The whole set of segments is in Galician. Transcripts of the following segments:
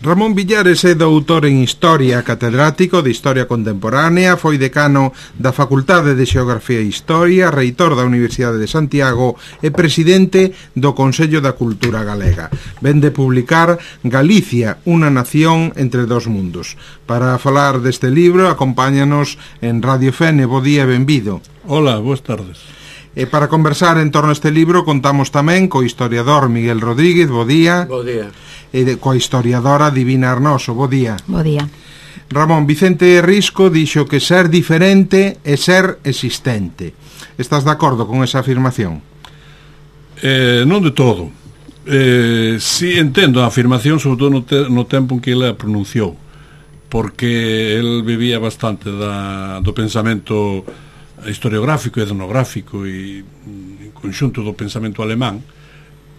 Ramón Villares é doutor en Historia, catedrático de Historia Contemporánea, foi decano da Facultade de Xeografía e Historia, reitor da Universidade de Santiago e presidente do Consello da Cultura Galega. Ven de publicar Galicia, unha nación entre dos mundos. Para falar deste libro, acompáñanos en Radio Fene. Bo día e benvido. Hola, boas tardes. E para conversar en torno a este libro contamos tamén co historiador Miguel Rodríguez. Bo día. Bo día. E coa historiadora Divina Arnoso. Bo día. Bo día. Ramón, Vicente Risco dixo que ser diferente é ser existente. Estás de acordo con esa afirmación? Non de todo. Si entendo a afirmación, sobre todo no tempo en que ele a pronunciou, porque el vivía bastante do pensamento historiográfico e etnográfico e en conxunto do pensamento alemán.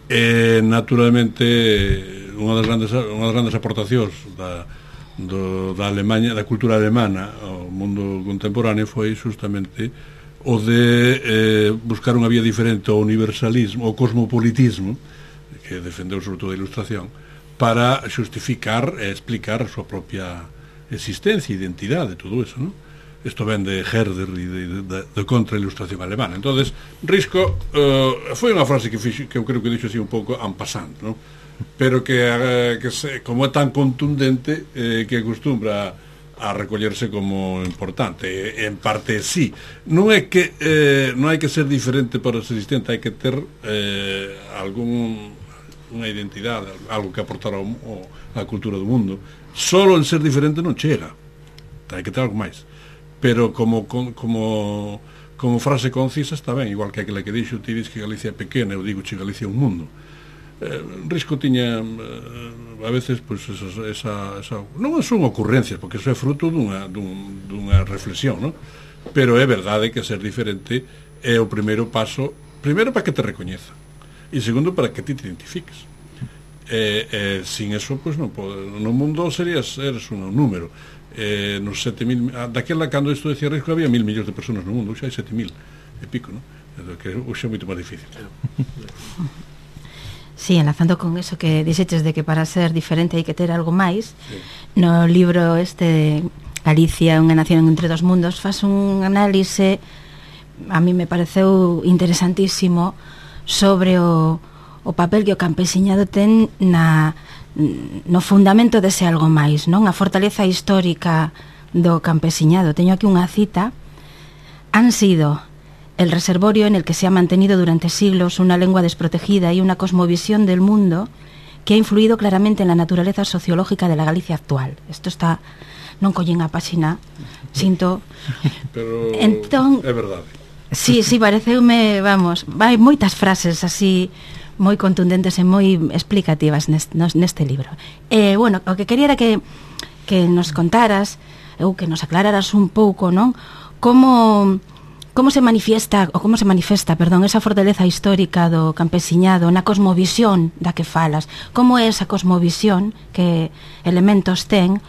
E naturalmente unha das grandes aportacións da Alemanha, da cultura alemana ao mundo contemporáneo foi justamente o de buscar unha vía diferente ao universalismo, ao cosmopolitismo, que defendeu sobre todo a Ilustración, para xustificar e explicar a súa propia existencia e identidade, todo eso, non? Isto ven de Herder e de contra-ilustración alemana. Entonces, Risco foi unha frase que eu creo que dixo así un pouco en passant, non? Pero como é tan contundente que acostumbra a recollerse como importante. En parte sí. Non é que non hai que ser diferente para ser existente, hai que ter unha identidade, algo que aportar á cultura do mundo. Solo en ser diferente non chega, hai que ter algo máis. Pero como frase concisa está ben, igual que aquela que dixo: ti dis que Galicia é pequena, eu digo que Galicia é un mundo. Risco tiña a veces pois esa non son ocurrencias, porque eso é fruto dunha reflexión, non? Pero é verdade que ser diferente é o primeiro paso, primeiro para que te recoñeza e segundo para que ti te identifiques. Sin eso, pois non pode, no mundo eres un número. Nos 7.000, daquela cando isto decía Risco había 1.000 millóns de personas no mundo, xa hai 7.000 e pico, non? Que hoxe é moito máis difícil. Sí, enlazando con eso que dixeches de que para ser diferente hai que ter algo máis, sí. No libro este Galicia, unha nación entre dos mundos, faz un análise, a mí me pareceu interesantísimo, sobre o papel que o campesiñado ten no fundamento dese algo máis, non? A fortaleza histórica do campesiñado. Teño aquí unha cita: han sido el reservorio en el que se ha mantenido durante siglos una lengua desprotegida y una cosmovisión del mundo que ha influido claramente en la naturaleza sociológica de la Galicia actual. Isto está, non collín a páxina, sinto. Pero entón, é verdade. Sí, pareceume, vamos, vai moitas frases así moi contundentes e moi explicativas neste libro. Bueno, o que quería era que nos contaras ou que nos aclararas un pouco, non? Como se manifesta, esa fortaleza histórica do campesiñado na cosmovisión da que falas. Como é esa cosmovisión, que elementos ten?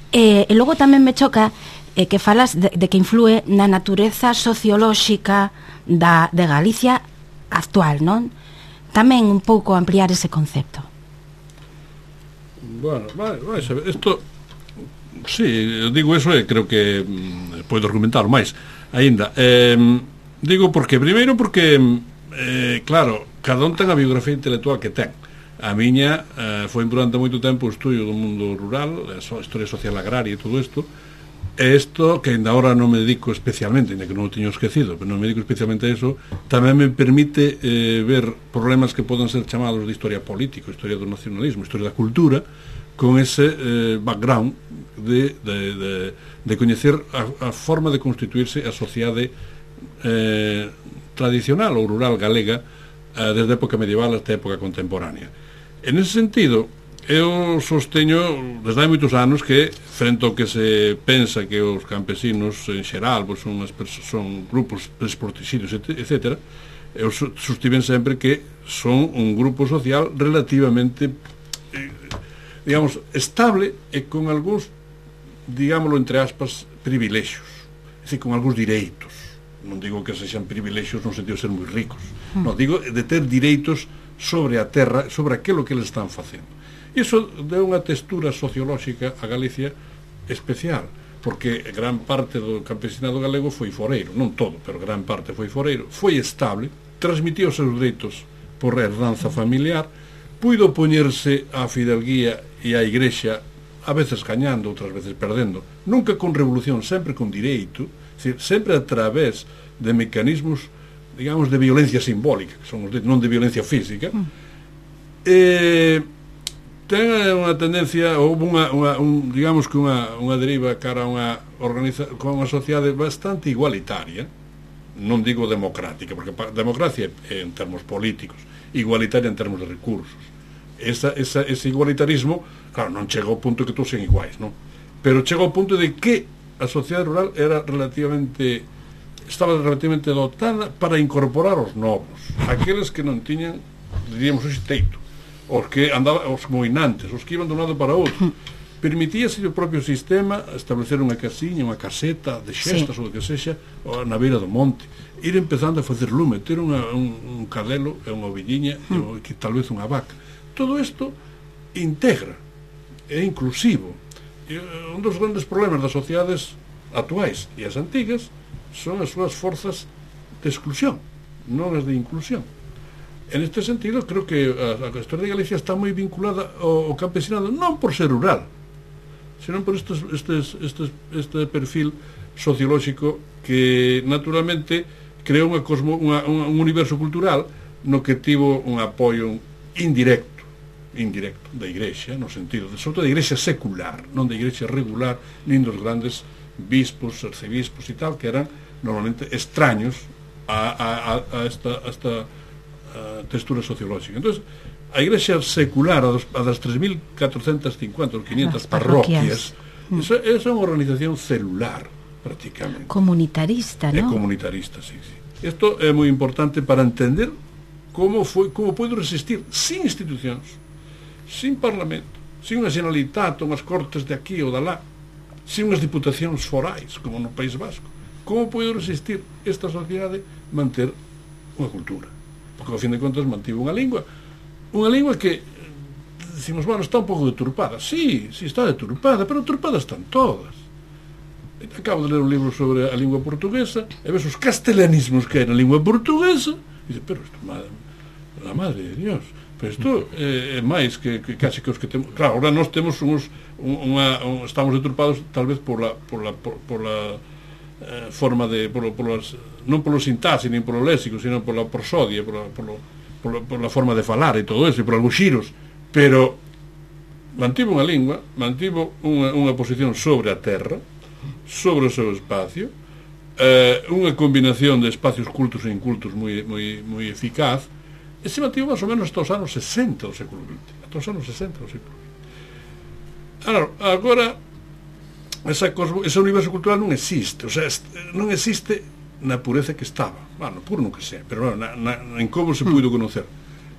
E logo tamén me choca que falas de que influe na natureza sociolóxica de Galicia actual, non? Tamén un pouco ampliar ese concepto. Bueno, vai saber, isto sí, digo eso e creo que podo argumentar máis aínda. Digo porque claro, cada un ten a biografía intelectual que ten. A miña foi durante moito tempo o estudio do mundo rural, a historia social agraria e todo isto. E isto, que ainda agora non me dedico especialmente, ainda que non o teño esquecido, pero non me dedico especialmente a eso, tamén me permite ver problemas que poden ser chamados de historia política, historia do nacionalismo, historia da cultura, con ese background de coñecer a forma de constituirse a sociedade tradicional ou rural galega desde a época medieval hasta a época contemporánea. En ese sentido, eu sosteño desde hai moitos anos que, frente ao que se pensa que os campesinos en xeral pois son grupos desprotegidos, etc., eu sostiven sempre que son un grupo social relativamente digamos estable e con algúns, digámoslo entre aspas, privilexios, é dicir, con algúns direitos. Non digo que sexan privilexios no sentido de ser moi ricos, non, digo de ter direitos sobre a terra, sobre aquilo que eles están facendo. Iso deu unha textura sociolóxica a Galicia especial, porque gran parte do campesinado galego foi foreiro, non todo, pero gran parte foi foreiro, foi estable, transmitiu os seus dereitos por herdanza familiar, puido poñerse á fidelguía e á igrexa, a veces gañando, outras veces perdendo, nunca con revolución, sempre con direito, sempre a través de mecanismos, digamos, de violencia simbólica, que son os non de violencia física. Ten unha tendencia, ou digamos que unha deriva cara a unha sociedade bastante igualitaria, non digo democrática, porque democracia é en termos políticos, igualitaria en termos de recursos. Ese igualitarismo, claro, non chega ao punto que todos sean iguais, non? Pero chega ao punto de que a sociedade rural estaba relativamente dotada para incorporar os novos, aqueles que non tiñan, diríamos, ese teito, os que andaban, os moinantes, os que iban de un lado para outro. Permitíase o propio sistema establecer unha casiña, unha caseta de xestas, ou de que sexa, na beira do monte, ir empezando a facer lume, ter un cadelo e unha ovelliña e que tal vez unha vaca. Todo isto integra, é inclusivo. E un dos grandes problemas das sociedades actuais e as antigas son as súas forzas de exclusión, non as de inclusión. En este sentido, creo que a historia de Galicia está moi vinculada ao campesinado, non por ser rural, senón por este perfil sociolóxico que naturalmente creou un universo cultural no que tivo un apoio indirecto da Igrexa, no sentido de, sobre todo, da Igrexa secular, non da Igrexa regular, nin dos grandes bispos, arcebispos e tal, que eran normalmente extraños a esta textura sociolóxica. Entonces, a Igrexa secular, a das 3.450 ou 500 parroquias, esa é unha organización celular, prácticamente. Comunitarista, non? É comunitarista, sí. Isto é moi importante para entender como pode resistir sin institucións, sin parlamento, sin unha Generalitat, unhas cortes de aquí ou de lá, sin unhas diputacións forais, como no País Vasco. Como pode resistir esta sociedade manter unha cultura? Porque, ao fin de contas, mantivo unha lingua que, decimos, bueno, está un pouco deturpada. Sí, está deturpada, pero deturpadas están todas. Acabo de ler un libro sobre a lingua portuguesa e ves os castelanismos que hai na lingua portuguesa e dice, pero isto, la madre de Dios, pero isto é máis que casi que os que temos. Claro, agora nós temos estamos deturpados tal vez por la forma de non polo sintaxe nin polo léxico, sino pola prosodia, pola forma de falar e todo eso, e por algúns xiros, pero mantivo unha lingua, mantivo unha posición sobre a terra, sobre o seu espacio, unha combinación de espacios cultos e incultos moi eficaz, e se mantivo máis ou menos hasta os anos 60 do século XX, hasta os anos 60 do século XX. Agora ese universo cultural non existe, o sea, non existe na pureza que estaba, bueno, puro non que sea, pero en como se puido conocer.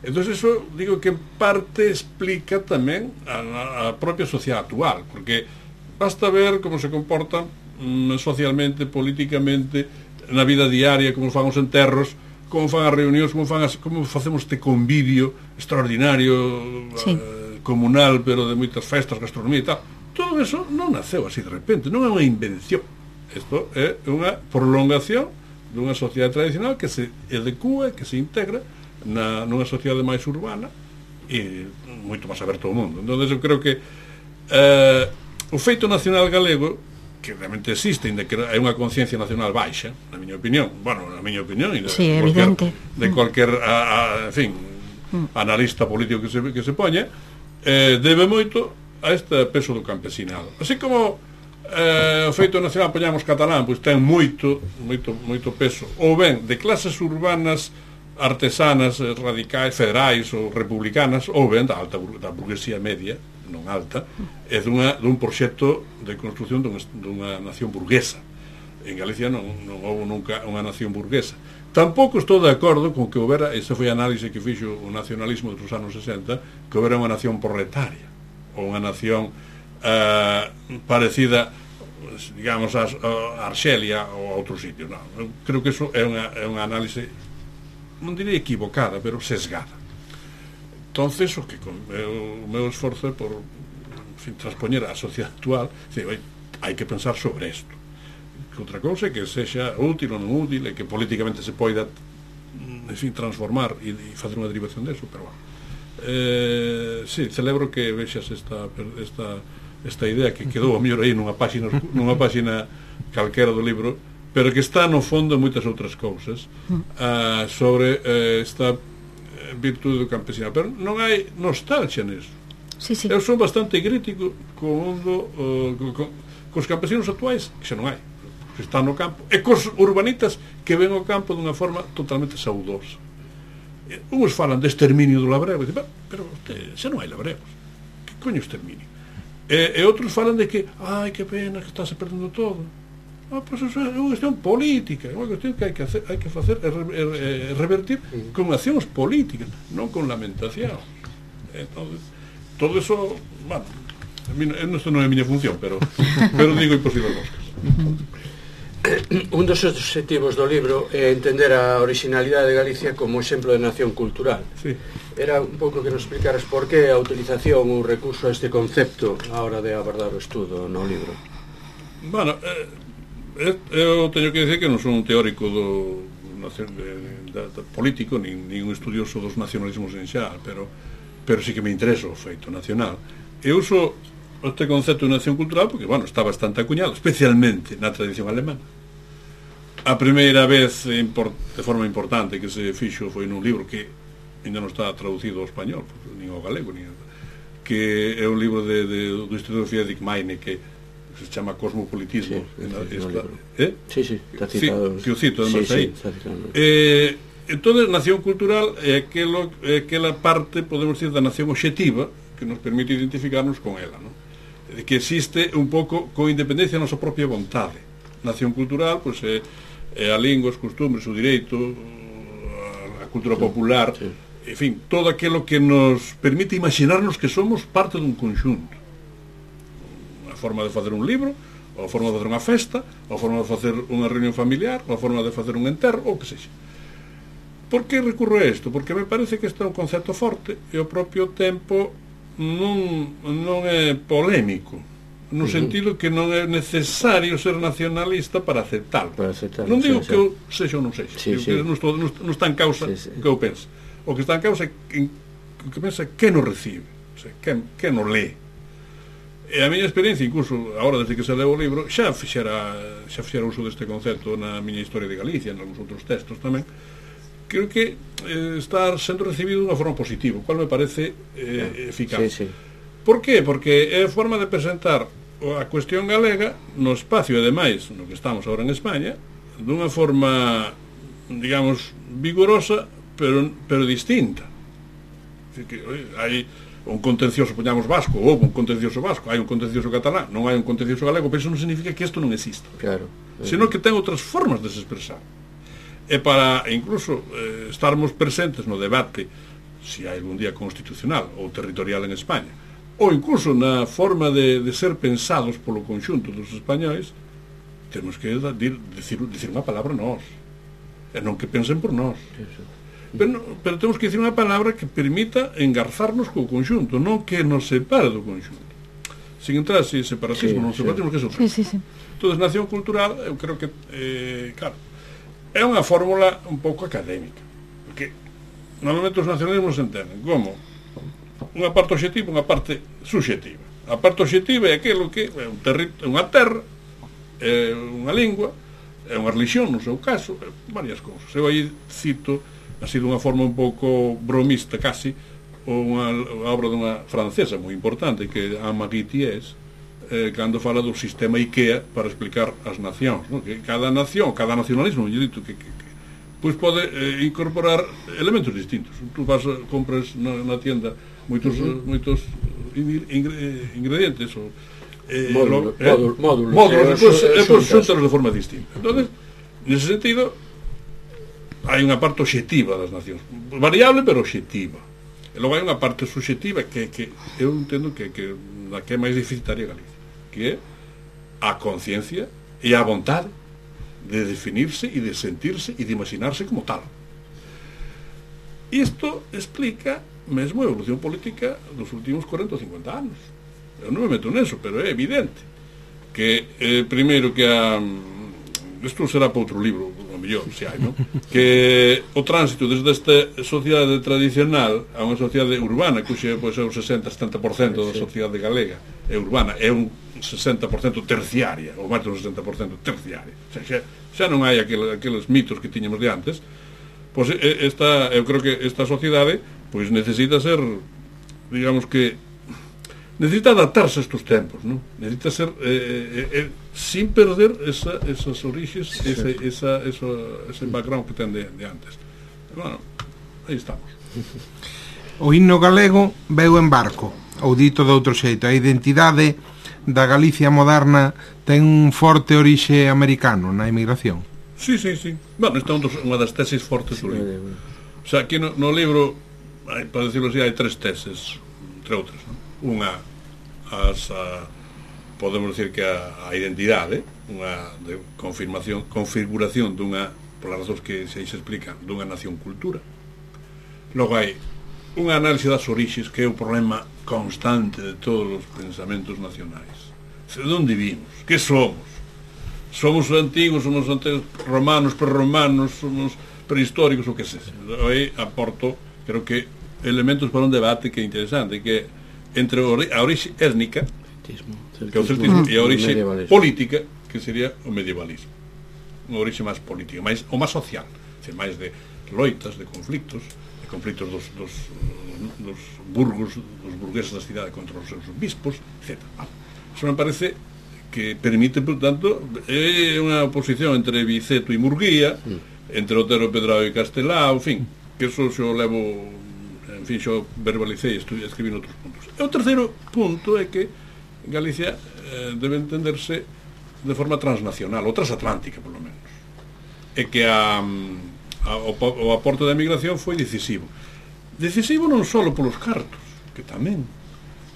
Entón, eso, digo que en parte explica tamén a propia sociedade actual, porque basta ver como se comportan socialmente, políticamente, na vida diaria, como fan os enterros, como fan as reunións, como facemos este convivio extraordinario, comunal, pero de moitas festas, gastronomía e tal. Todo eso non naceu así de repente, non é unha invención. Isto é unha prolongación dunha sociedade tradicional que se adecúa, que se integra nunha sociedade máis urbana e moito máis aberto ao mundo. Entón, eu creo que o feito nacional galego, que realmente existe, ainda que é unha conciencia nacional baixa, na miña opinión, e de cualquier en fin, analista político que se poña, debe moito a este peso do campesinado. Así como o feito nacional, poñamos catalán, pois ten moito peso, ou ben de clases urbanas artesanas, radicais, federais ou republicanas, ou ben da burguesía media, non alta, é dun proxecto de construción dunha nación burguesa. En Galicia non houve nunca unha nación burguesa. Tampouco estou de acordo con que houbera, esa foi a análise que fixo o nacionalismo dos anos 60, que houbera unha nación proletaria, ou unha nación parecida, digamos, a Arxelia ou a outros sitios. Non, eu creo que iso é unha análise, non diría equivocada, pero sesgada. entonces o meu esforzo é por transpoñer a sociedade actual, hai que pensar sobre isto, que outra cousa é que sexa útil ou non útil, e que políticamente se poida transformar e facer unha derivación deso, pero bueno, sí, celebro que vexas esta idea que quedou a mellor aí nunha páxina calquera do libro, pero que está no fondo moitas outras cousas sobre esta virtude do campesinado, pero non hai nostalgia nisso. Sí, sí. Eu sou bastante crítico cos campesinos actuais, que xa non hai, que están no campo, e cos urbanitas que ven o campo dunha forma totalmente saudosa. Uns falan de exterminio do labrego, e dicen, pero xa non hai labregos, que coño exterminio? E outros falan de que, ai, que pena, que está se perdendo todo. Pois iso é unha cuestión política, é unha cuestión que hai que facer revertir con accións políticas, non con lamentación. Entonces, todo eso, bueno, isto non é a miña función, pero digo imposible as moscas. Un dos objetivos do libro é entender a originalidade de Galicia como exemplo de nación cultural. Sí. Era un pouco que nos explicaras por que a utilización ou recurso a este concepto a hora de abordar o estudo no libro. Bueno, eu teño que decir que non son un teórico político, nin un estudioso dos nacionalismos en xeral, pero sí que me interesa o feito nacional. Eu uso este concepto de nación cultural porque, bueno, está bastante acuñado, especialmente na tradición alemana. A primeira vez de forma importante que se fixo foi nun libro que ainda non está traducido ao español, nin ao galego, que é un libro do historiador Friedrich Meine, que se chama Cosmopolitismo. Sí, está citado. Que o cito, además, aí. Entón, nación cultural é aquela parte, podemos decir, da nación obxectiva que nos permite identificarnos con ela, non? Que existe un pouco con independencia da nosa propia vontade. Nación cultural, pois, é a lingua, os costumbres, o direito, a cultura popular, en fin, todo aquilo que nos permite imaginarnos que somos parte dun conxunto. A forma de facer un libro, ou a forma de facer unha festa, ou a forma de facer unha reunión familiar, ou a forma de facer un enterro, ou que sexa. Por que recurro a isto? Porque me parece que este é un concepto forte e ao propio tempo non é polémico, no sentido que non é necesario ser nacionalista para aceptarlo. Non digo que eu sexa ou non sexa, non está en causa que eu pense. O que está en causa é que pensa que nos recibe, o sea, que nos lee. E a miña experiencia, incluso agora desde que se leu o libro, xa fixera uso deste concepto na miña historia de Galicia, en algúns outros textos tamén. Creo que está sendo recibido de unha forma positiva, o cual me parece eficaz. Por qué? Porque é a forma de presentar a cuestión galega no espacio, e ademais, no que estamos agora en España, dunha forma, digamos, vigorosa, pero distinta. Hai un contencioso, poñamos vasco, ou un contencioso vasco, hai un contencioso catalán, non hai un contencioso galego, pero iso non significa que isto non exista. Claro. Senón que ten outras formas de se expresar. E para incluso estarmos presentes no debate se hai algún día constitucional ou territorial en España, ou incluso na forma de ser pensados polo conxunto dos españois, temos que dicir unha palabra nós, e non que pensen por nós. Pero temos que dicir unha palabra que permita engarzarnos co conxunto, non que nos separe do conxunto. Sin entrar en separatismo, non separatismo, que é outra. Entón, nación cultural, eu creo que, claro, é unha fórmula un pouco académica, porque normalmente os nacionalismos se entenden como unha parte obxectiva e unha parte subxectiva. A parte obxectiva é aquilo que é unha terra, é unha lingua, é unha religión, no seu caso, varias cousas. Eu aí cito, así dunha forma un pouco bromista casi, unha obra dunha francesa moi importante, que é Anne-Marie Thiers, cando fala do sistema IKEA para explicar as nacións, non? Que cada nación, cada nacionalismo, eu dito que pois pode incorporar elementos distintos. Tú compras na tienda moitos ingredientes ou módulos, depois xuntaros de forma distinta. Entonces, nese sentido, hai unha parte obxectiva das nacións, variable pero obxectiva. E logo hai unha parte subxectiva que eu entendo que é máis deficitaria Galicia, que é a conciencia e a vontade de definirse e de sentirse e de imaginarse como tal. Isto explica mesmo a evolución política dos últimos 40 ou 50 anos. Eu non me meto neso, pero é evidente que primeiro que isto será para outro libro, o mellor, se hai, non? Que o tránsito desde esta sociedade tradicional a unha sociedade urbana, que é pois, o 60-70% da sociedade galega é urbana, é un 60% terciaria, ou máis do 60% terciaria. O sea, xa non hai aqueles mitos que tiñamos de antes. Pois eu creo que esta sociedade pois necesita ser, digamos que necesita adaptarse a estos tempos, ¿no? Necesita ser sin perder esas orixes, ese background que ten de antes. Bueno, aí estamos. O himno galego veu en barco, ou dito de outro xeito, a identidade da Galicia moderna ten un forte orixe americano na emigración. Sí. Bueno, esta é unha das teses fortes do libro. O sea, aquí no libro, para decirlo así, hai 3 teses, entre outras, ¿no? Unha podemos decir que a identidade, unha de configuración dunha, polas razóns que se explican, dunha nación-cultura. Logo hai unha análise das orixes, que é o problema constante de todos os pensamentos nacionais. De onde vimos? Que somos? Somos antigos, somos romanos, prerromanos, somos prehistóricos, o que sexa. Aí aporto, creo que, elementos para un debate que é interesante, que entre a orixe étnica, que é o celtismo, e a orixe política, que sería o medievalismo. Unha orixe máis política, ou máis social, máis de loitas, de conflictos dos burgos, dos burgueses da cidade contra os seus bispos, etc. Eso me parece que permite, por tanto, é unha oposición entre Biceto e Murguía, entre Otero Pedrao e Castelao, en fin, que eso xo levo, en fin, xo verbalicei, escribí noutros puntos. E o terceiro punto é que Galicia debe entenderse de forma transnacional, ou transatlántica, polo menos. É que o aporte da emigración foi decisivo. Decisivo non só polos cartos, que tamén,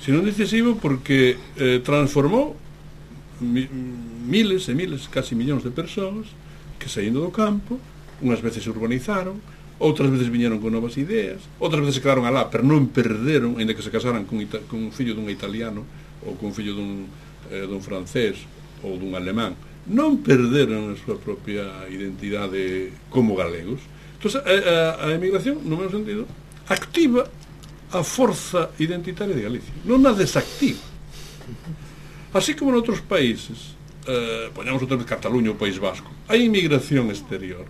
sino decisivo porque transformou miles e miles, casi millóns de persoas que saindo do campo, unhas veces se urbanizaron, outras veces viñeron con novas ideas, outras veces se quedaron alá, pero non perderon, ainda que se casaran con un fillo dun italiano ou con un fillo dun francés ou dun alemán, non perderon a súa propia identidade como galegos. Entón, a emigración, no meu sentido, activa a forza identitaria de Galicia, non a desactiva. Así como en outros países, poñamos outra vez Cataluña ou País Vasco, hai inmigración exterior,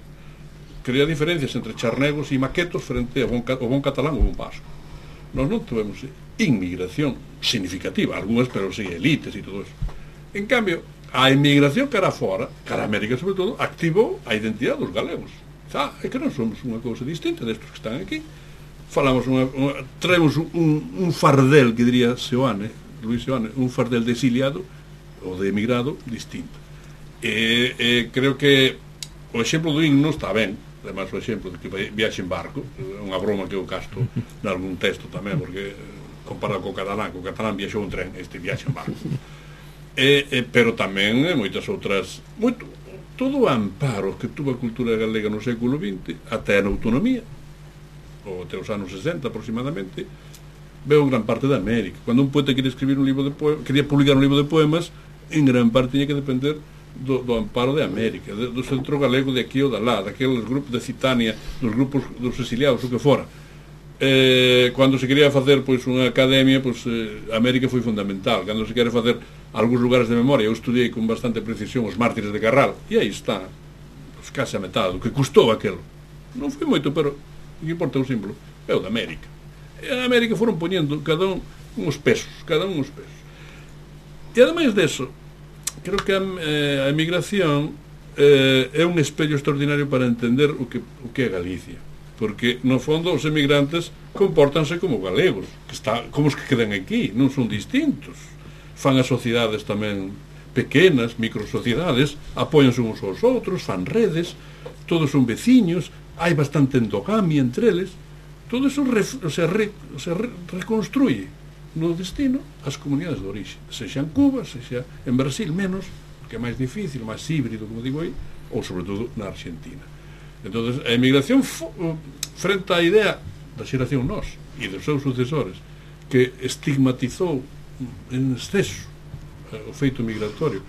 crea diferencias entre charnegos e maquetos frente ao bon catalán ou bon vasco. Nós non tuvemos inmigración significativa, algunhas, pero sí, elites e todo eso. En cambio, a inmigración cara fora, cara a América sobre todo, activou a identidade dos galegos. É que non somos unha cousa distinta destos que están aquí. Falamos traemos un fardel, que diría Luis Seoane, un fardel de exiliado ou de emigrado distinto. Creo que o exemplo do himno está ben, además o exemplo de que viaxe en barco, é unha broma que eu casto nalgún texto tamén, porque comparado co catalán viaxou en tren, este viaxe en barco. Pero tamén moitas outras, todo o amparo que tuvo a cultura galega no século XX, até na autonomía, ou até os anos 60 aproximadamente, veo gran parte da América. Cando un poeta quería escribir un libro de poemas, quería publicar un libro de poemas, en gran parte tiña que depender do amparo de América, do centro galego de aquí ou de lá, daqueles grupos de Citania, dos grupos dos exiliados, o que fora. Cando se quería facer pois unha academia, pois América foi fundamental. Cando se quere facer algúns lugares de memoria, eu estudiei con bastante precisión os mártires de Carral, e aí está, pois case a metade do que custou aquelo. Non foi moito, pero o que importa é o símbolo, é o de América. E en América foron poñendo cada un uns pesos. E ademais deso, creo que a emigración é un espello extraordinario para entender o que é Galicia, porque no fondo os emigrantes compórtanse como galegos, como os que quedan aquí, non son distintos, fan as sociedades tamén pequenas, microsociedades, apóianse uns aos outros, fan redes, todos son veciños, hai bastante endogamia entre eles, todo eso se reconstruye no destino as comunidades de orixe, sexa en Cuba, sexa en Brasil, menos, que é máis difícil, máis híbrido, como digo aí, ou sobre todo na Argentina. Entonces, a emigración frente á idea da xeración nós, e dos seus sucesores, que estigmatizou en exceso o feito migratorio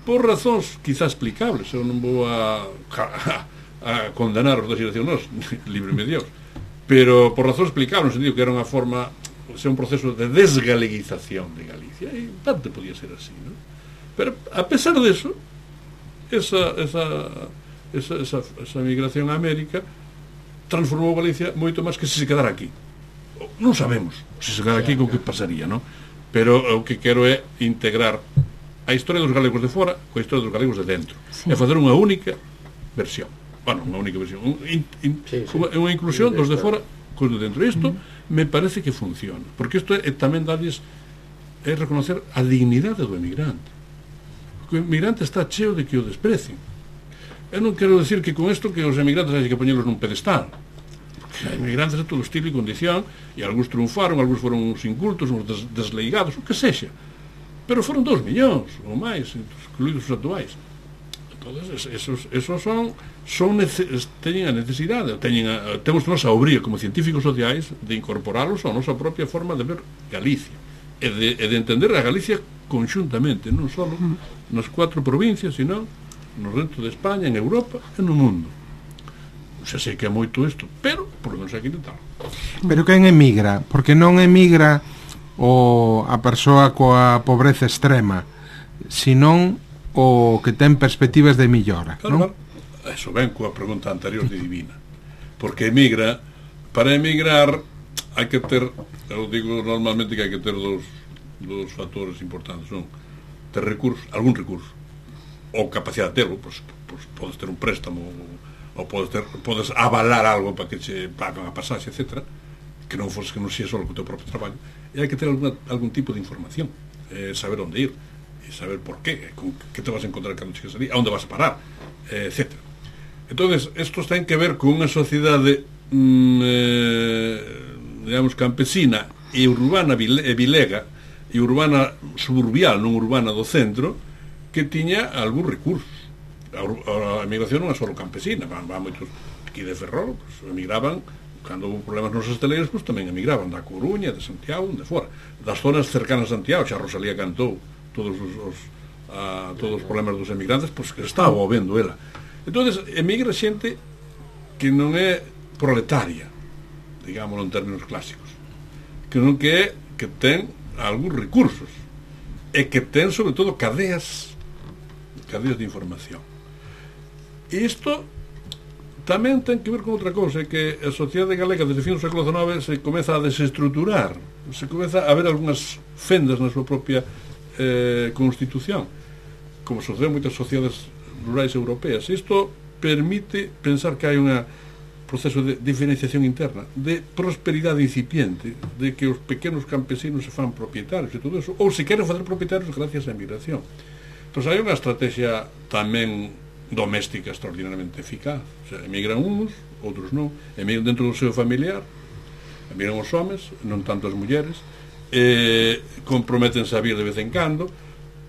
por razóns quizás explicables. Eu non vou a condenar os da xeración nos, líbreme Dios, pero por razóns explicables, no sentido que era unha forma, un proceso de desgaleguización de Galicia, e tanto podía ser así, ¿no? Pero a pesar de eso, esa migración a América transformou Galicia moito máis que se quedara aquí. Non sabemos se se quedara aquí con que pasaría, ¿no? Pero o que quero é integrar a historia dos galegos de fora coa historia dos galegos de dentro, e facer unha única versión, unha inclusión dos de fora cos de dentro. Isto me parece que funciona, porque isto é tamén darles, é reconocer a dignidade do emigrante. O emigrante está cheo de que o desprecien. Eu non quero decir que con isto que os emigrantes hai que poñelos nun pedestal, porque hai emigrantes de todo estilo e condición, e algúns triunfaron, algúns foron uns incultos, uns desleigados, o que sexa, pero foron 2 millóns ou máis, incluídos os actuais. Entonces, esos teñen a necesidade, temos nosa obría como científicos sociais de incorporalos a nosa propia forma de ver Galicia e de entender a Galicia conxuntamente, non só nas 4 provincias, sino no resto de España, en Europa e no mundo. Xa sei que é moito isto, pero por lo menos hai que intentar. Pero quen emigra? Porque non emigra a persoa coa pobreza extrema, senón o que ten perspectivas de millora, claro, non? Eso ven coa pregunta anterior de Divina, porque para emigrar hai que ter, eu digo normalmente que hai que ter dos factores importantes, son ter recursos, algún recurso, ou capacidade de terlo, pois podes ter un préstamo, ou podes avalar algo para que che pagan a pasaxe, etc., que non sea só co teu propio traballo, e hai que ter algún tipo de información, saber onde ir, e saber por qué, que te vas a encontrar cando chegas ali, a onde vas a parar, etc. Entonces, estos ten que ver con unha sociedade digamos campesina e urbana e vilega, e urbana suburbial, non urbana do centro, que tiña algún recursos. A emigración non é só campesina, van moitos aquí de Ferrol, pues, emigraban cando houve problemas nos esteleiros, pues, tamén emigraban da Coruña, de Santiago, de fora, das zonas cercanas a Santiago. Xa Rosalía cantou todos os problemas dos emigrantes, pois que estaba vendo ela. Entonces emigra xente que non é proletaria, digámoslo en términos clásicos, que non que ten algúns recursos e que ten sobre todo cadeas de información. E isto tamén ten que ver con outra cousa, que a sociedade galega desde fin do século XIX se comeza a desestruturar, se comeza a ver algunhas fendas na súa propia constitución, como sucede en moitas sociedades rurais europeas. Isto permite pensar que hai un proceso de diferenciación interna, de prosperidade incipiente, de que os pequenos campesinos se fan propietarios e todo eso, ou se queren fazer propietarios gracias á emigración. Entón hai unha estrategia tamén doméstica extraordinariamente eficaz. O sea, emigran uns, outros non, emigran dentro do seu familiar, emigran os homes, non tanto as mulleres, comprométense a vir de vez en cando,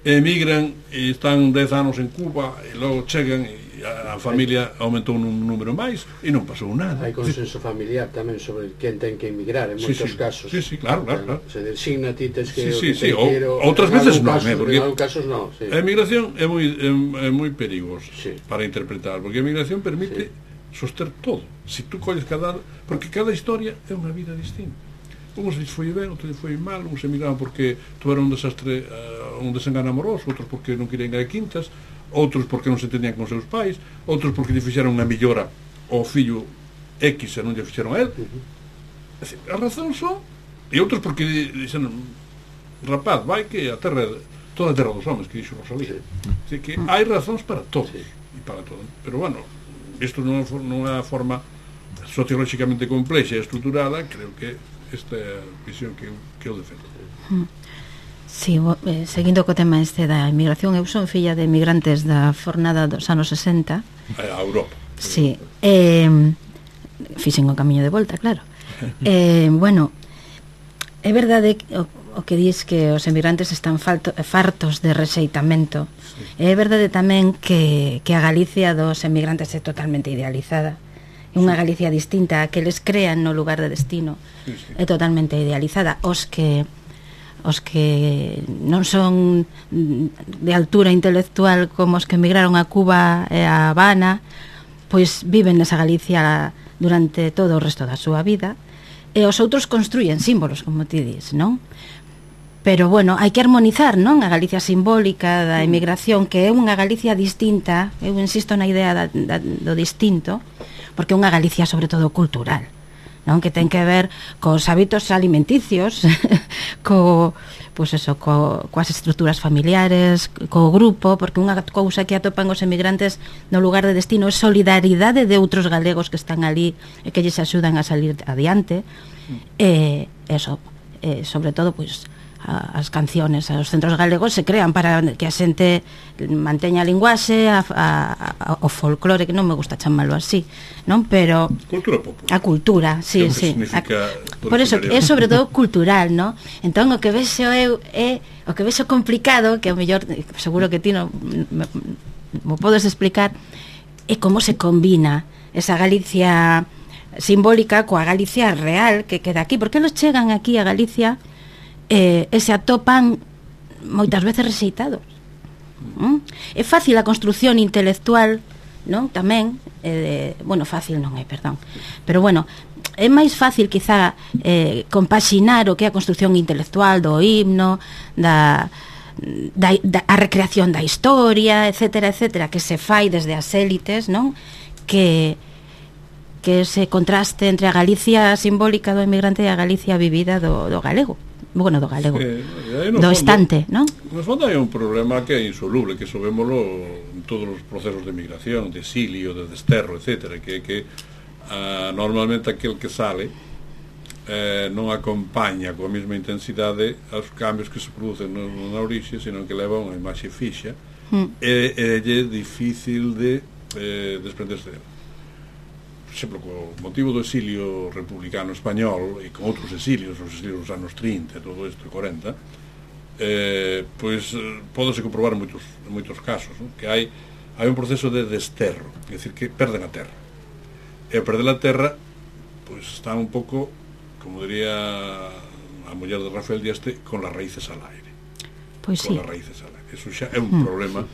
emigran e están 10 anos en Cuba e logo chegan e a familia aumentou un número máis e non pasou nada. Hai consenso familiar tamén sobre quen ten que emigrar en moitos casos. Sí, claro. Se designa ti tes que outras veces non, porque en algún casos non. A emigración é moi perigosa para interpretar, porque a emigración permite soster todo. Se tú colles porque cada historia é unha vida distinta. Uns lhes foi ben, outros lhes foi mal, uns emigraban porque tuveron un desastre, un desengano amoroso, outros porque non querían ir a quintas, outros porque non se entendían con seus pais, outros porque lle fixeron unha mellora ao fillo X e non lle fixeron a él. A razón son, e outros porque dixeron, rapaz, vai que a terra toda a terra dos homens, que dixo Rosalía. Así que hai razóns para todos e para todo. Pero bueno, isto non é unha forma sociolóxicamente complexa e estruturada. Creo que esta é a visión que eu defendo. Sí, seguindo co tema da emigración, eu son filla de emigrantes da fornada dos anos 60 a Europa. Sí, fixen o camiño de volta, claro. Bueno, é verdade o que dis que os emigrantes están fartos de rexeitamento. É verdade tamén que a Galicia dos emigrantes é totalmente idealizada, unha Galicia distinta a que les crean no lugar de destino. É totalmente idealizada. Os que non son de altura intelectual como os que emigraron a Cuba e a Habana, pois viven nesa Galicia durante todo o resto da súa vida, e os outros construyen símbolos, como ti dis, non? Pero, bueno, hai que armonizar, non? A Galicia simbólica da emigración, que é unha Galicia distinta, eu insisto na idea do distinto, porque é unha Galicia, sobre todo, cultural, non? Que ten que ver cos hábitos alimenticios, pois eso, coas estruturas familiares, co grupo, porque unha cousa que atopan os emigrantes no lugar de destino é solidaridade de outros galegos que están ali e que lles axudan a salir adiante, e eso, sobre todo, pois, as canciones, os centros galegos se crean para que a xente manteña a linguaxe, o folclore, que non me gusta chamarlo así, non? Pero cultura popular. A cultura, sí, sí. Por eso é sobre todo cultural, non? Entón o que vexo eu é o que vexo complicado, que ao mellor seguro que ti non me podes explicar, é como se combina esa Galicia simbólica coa Galicia real que queda aquí, porque eles chegan aquí a Galicia e se atopan moitas veces rexeitados. É fácil a construción intelectual, non? Tamén, bueno, fácil non é, perdón, pero bueno, é máis fácil quizá compaxinar o que é a construción intelectual do himno, a recreación da historia, etcétera, etcétera, que se fai desde as élites, non? Que ese contraste entre a Galicia simbólica do emigrante e a Galicia vivida do galego. Bueno, do galego, do estante, non? No fondo hai un problema que é insoluble, que sobémolo en todos os procesos de migración, de exilio, de desterro, etcétera, que normalmente aquel que sale non acompaña coa mesma intensidade aos cambios que se producen na orixe, senón que leva unha imaxe fixa e é difícil de desprenderse dela. Por exemplo, co motivo do exilio republicano español e con outros exilios, os exilios dos anos 30 e todo isto, 40, pois pódese comprobar en moitos casos, non? Que hai un proceso de desterro, é dicir, que perden a terra, e perder a terra pois está un pouco, como diría a muller de Rafael Dieste, con las raíces al aire. Pois con sí. Las raíces al aire. Eso xa é un problema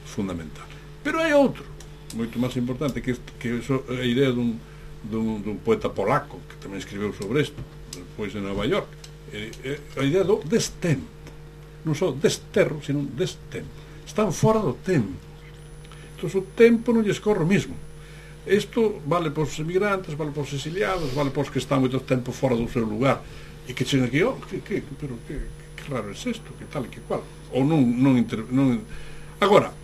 fundamental. Pero hai outro moito máis importante, que eso é a idea dun poeta polaco que tamén escribeu sobre isto depois en Nova York, a idea do destempo, non só desterro, sino destempo. Están fora do tempo, entón o tempo non lles corre o mismo. Isto vale para os emigrantes, vale para os exiliados, vale para os que están moito tempo fora do seu lugar e que chegan aquí, que raro é isto, que tal e que cual, ou non agora.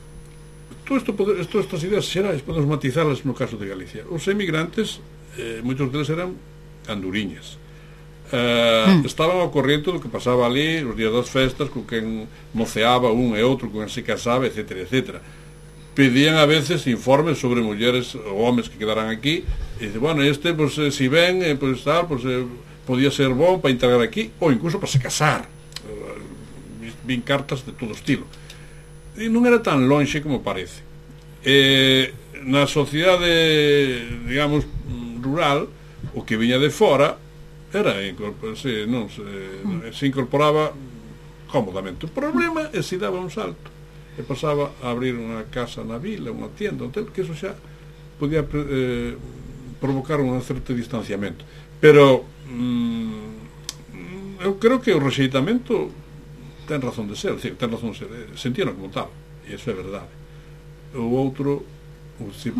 Estas ideas xerais podemos matizalas no caso de Galicia. Os emigrantes, moitos deles eran anduriñas, estaban ao corriente do que pasaba ali os días das festas, con quen moceaba un e outro, con quen se casaba, etcétera, etcétera. Pedían a veces informes sobre mulleres ou homes que quedaran aquí, e dice, bueno, pues, si ven, pues tal, pues podía ser bon para integrar aquí, ou incluso para se casar. Vin cartas de todo estilo. E non era tan lonxe como parece. Na sociedade, digamos, rural, o que viña de fora era se incorporaba cómodamente. O problema é se daba un salto e pasaba a abrir unha casa na vila, unha tienda, un hotel, que eso xa podía provocar un certo distanciamento. Pero eu creo que o rexeitamento ten razón de ser, sentían como tal, e iso é verdade. O outro, se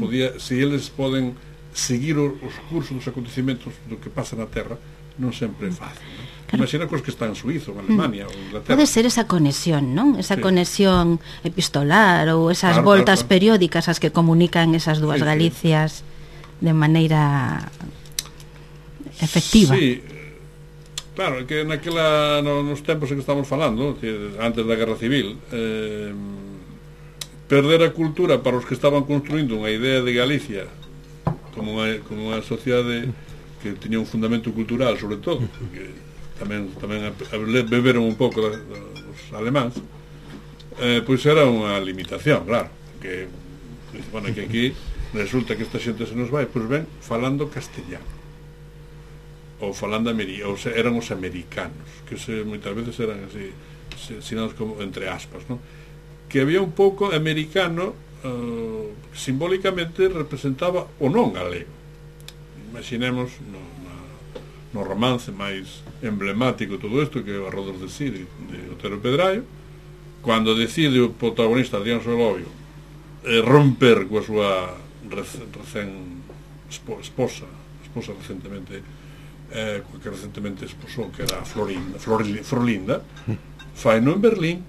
eles poden seguir os cursos dos acontecimentos do que pasa na Terra, non sempre é fácil, non? Claro. Imagina cos que están en Suiza, ou en Alemania, ou en Inglaterra. Pode ser esa conexión, non? Esa conexión epistolar, ou esas voltas periódicas as que comunican esas dúas Galicias de maneira efectiva. Sí. Claro, que nos tempos en que estamos falando, antes da Guerra Civil, perder a cultura para os que estaban construindo unha idea de Galicia como unha sociedade que tiña un fundamento cultural, sobre todo, que tamén beberon un pouco os alemáns, pois era unha limitación, claro, que, bueno, que aquí resulta que esta xente se nos vai, pois ben falando castellano ou falando eran os americanos, que moitas veces eran así sinados como entre aspas, non? Que había un pouco americano, simbólicamente representaba o non galego. Imaginemos no romance máis emblemático todo isto, que é o Arrodos de Siri de Otero Pedraio, cando decide o protagonista Adrián Solovio romper coa súa esposa recentemente que recentemente esposou, que era Florinda, faino en Berlín,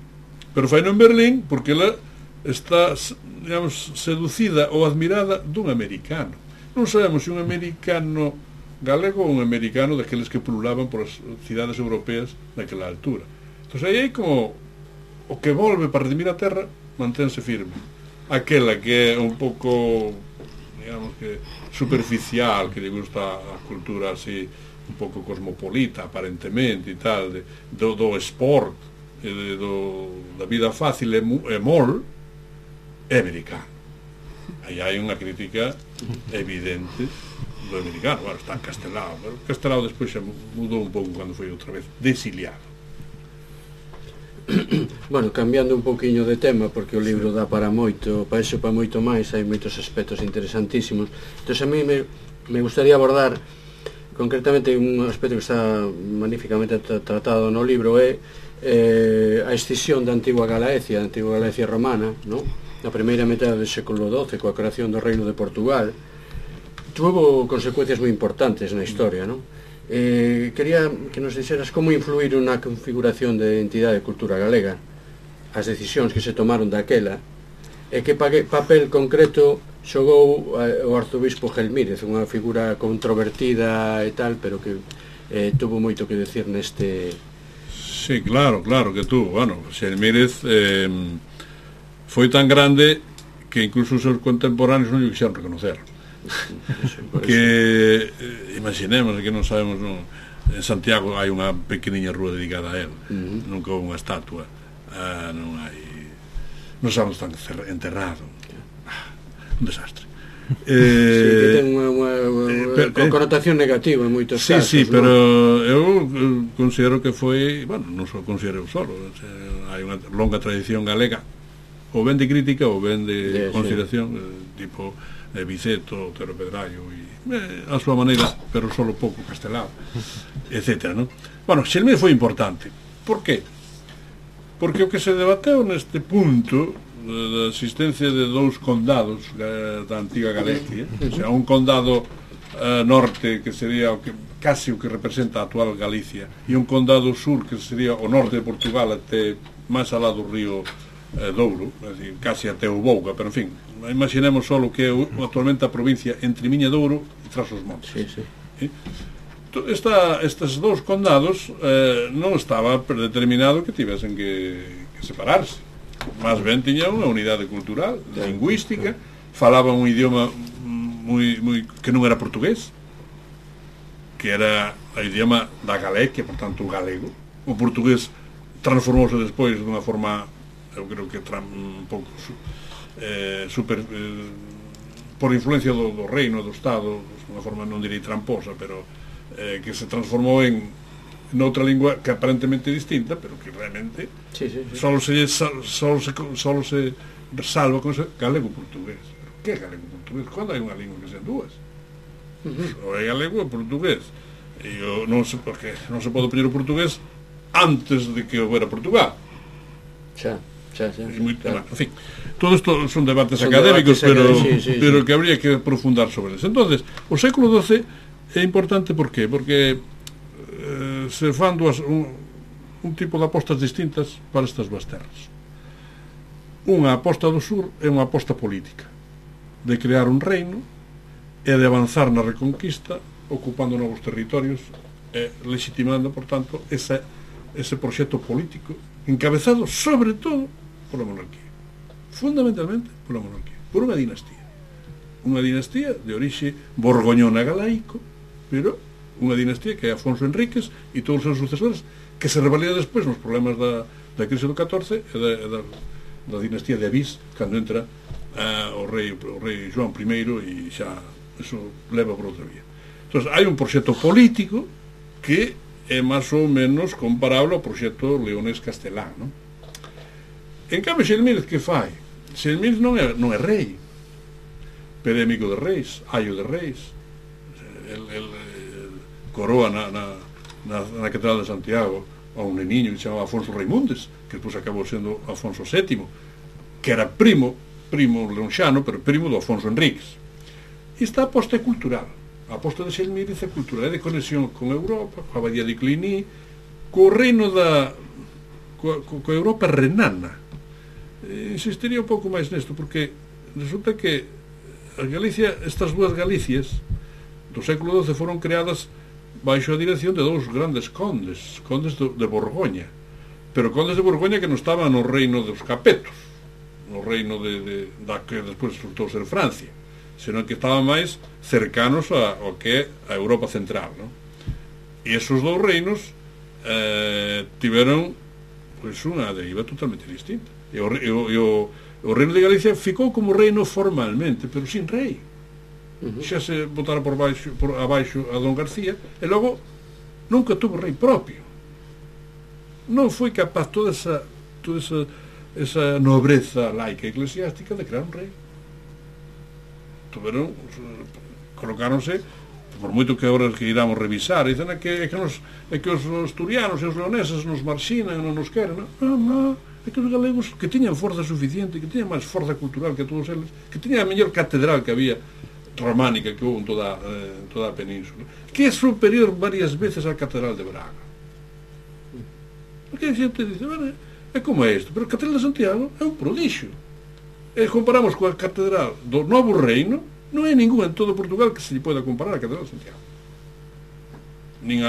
pero faino en Berlín porque ela está, digamos, seducida ou admirada dun americano. Non sabemos se un americano galego ou un americano daqueles que pululaban por as cidades europeas naquela altura. Entón aí hai como o que volve para redimir a terra mantense firme, aquela que é un pouco, digamos, que superficial, que lle gusta a cultura así un pouco cosmopolita aparentemente e tal, do sport, da vida fácil e mol, é americano. Aí hai unha crítica evidente do americano. Bueno, está Castelao, pero Castelao despois xa mudou un pouco cando foi outra vez desiliado. Bueno, cambiando un pouquiño de tema, porque o libro dá para moito, para iso para moito máis, hai moitos aspectos interesantísimos. Entón, a mí me gustaría abordar concretamente un aspecto que está magníficamente tratado no libro, é a escisión da antigua Galaecia romana, non? Na primeira metade do século XII, coa creación do Reino de Portugal, tuvo consecuencias moi importantes na historia, non? Quería que nos dixeras como influíron na configuración de entidade de cultura galega as decisións que se tomaron daquela, e que papel concreto xogou o arzobispo Gelmírez, unha figura controvertida e tal, pero que tuvo moito que decir neste... Sí, claro que tuvo. Bueno, Gelmírez foi tan grande que incluso os seus contemporáneos non lle quixeron reconocer. Que imaginemos que non sabemos, non, en Santiago hai unha pequeniña rúa dedicada a él, nunca houve unha estatua, non non sabemos tan enterrado, un desastre. Sí, que ten unha connotación negativa en moitos casos. Sí, pero eu considero que foi, bueno, non só considero solo, hai unha longa tradición galega, ou ben de crítica ou ben de consideración, tipo Biceto, Otero Pedraio a súa maneira, pero solo pouco Castelao, etcétera, non? Bueno, Xelmírez foi importante. Por qué? Porque o que se debateu neste punto da existencia de dous condados da antiga Galicia, o sea, un condado norte que sería o que casi o que representa a actual Galicia, e un condado sur que sería o norte de Portugal até máis alá do río Douro, é dicir, casi até o Bouga, pero en fin, imaginemos só o que é actualmente a provincia entre Miña Douro e Trás-os-Montes. Estes dous condados non estaba predeterminado que tivesen que separarse, máis ben tiña unha unidade cultural, lingüística, falaban un idioma que non era portugués, que era o idioma da Galicia, por tanto o galego. O portugués transformouse despois dunha forma, eu creo que un pouco por influencia do reino, do Estado, unha forma non direi tramposa, pero que se transformou en noutra lingua que aparentemente distinta, pero que realmente solo se salva con ese galego-portugués. Que é galego-portugués? Cando hai unha lingua que sean dúas? O é galego e portugués. E non se pode poñer o portugués antes de que houbera Portugal. En fin, todo isto son debates académicos, pero que habría que aprofundar sobre eso. Entonces, o século XII é importante, por qué? Porque se fan un tipo de apostas distintas para estas dúas terras. Unha aposta do sur é unha aposta política, de crear un reino e de avanzar na reconquista, ocupando novos territorios e legitimando, por tanto, ese proxecto político encabezado sobre todo pola monarquía, fundamentalmente pola monarquía, por unha dinastía de orixe borgoñona galaico, pero unha dinastía que é Afonso Enríquez e todos os seus sucesores, que se revalida despois nos problemas da crise do 14 e da dinastía de Avís, cando entra o rei João I e xa eso leva por outra vía. Entón, hai un proxecto político que é máis ou menos comparable ao proxecto leonés castelán, non? En cambio, Xelmírez que fai? Xelmírez non é rei, pero é amigo de reis, aio de reis. El coroa na Catedral de Santiago a un neniño que se chamaba Afonso Raimundes, que depois acabou sendo Afonso VII, que era primo leonxano, pero primo do Afonso Enríquez. E esta aposta é cultural. A aposta de Xelmírez é cultural, é de conexión con Europa, coa abadía de Cluny, co reino coa Europa renana. Insistiría un pouco máis nesto, porque resulta que a Galicia, estas dúas Galicias do século XII foron creadas baixo a dirección de dous grandes condes de Borgoña, pero condes de Borgoña que non estaban no reino dos Capetos, no reino da que despois resultou ser Francia, senón que estaban máis cercanos ao que é a Europa central, non? E esos dous reinos tiveron pois unha deriva totalmente distinta. E o reino de Galicia ficou como reino formalmente, pero sin rei. Xa se botara por abaixo a Don García, e logo nunca tuvo rei propio. Non foi capaz toda esa nobreza laica eclesiástica de crear un rei. Colocáronse, por moito que agora que iramos revisar, dicen que os asturianos e os leoneses nos marxinan, non nos queren, non, é que os galegos que tiñan forza suficiente, que tiñan máis forza cultural que todos eles, que tiñan a mellor catedral que había románica que houve en toda a península, que é superior varias veces á catedral de Braga. Porque a xente dice, bueno, é como é isto, pero a catedral de Santiago é un prodixio. E comparamos coa catedral do Novo Reino, non hai ningún en todo Portugal que se lle poida comparar a catedral de Santiago. Nin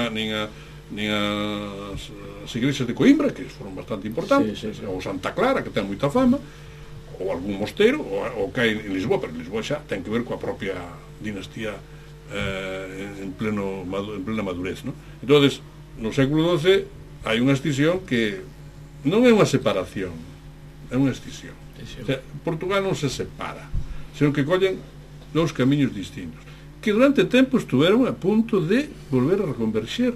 as igrexas de Coimbra, que foron bastante importantes, ou Santa Clara, que ten moita fama, ou algún mosteiro, ou que hai en Lisboa, pero Lisboa xa ten que ver coa propia dinastía en plena madurez, non? Entón, no século XII hai unha escisión que non é unha separación, é unha escisión. O sea, Portugal non se separa, senón que collen dous camiños distintos, que durante tempo estuveron a punto de volver a reconverxer.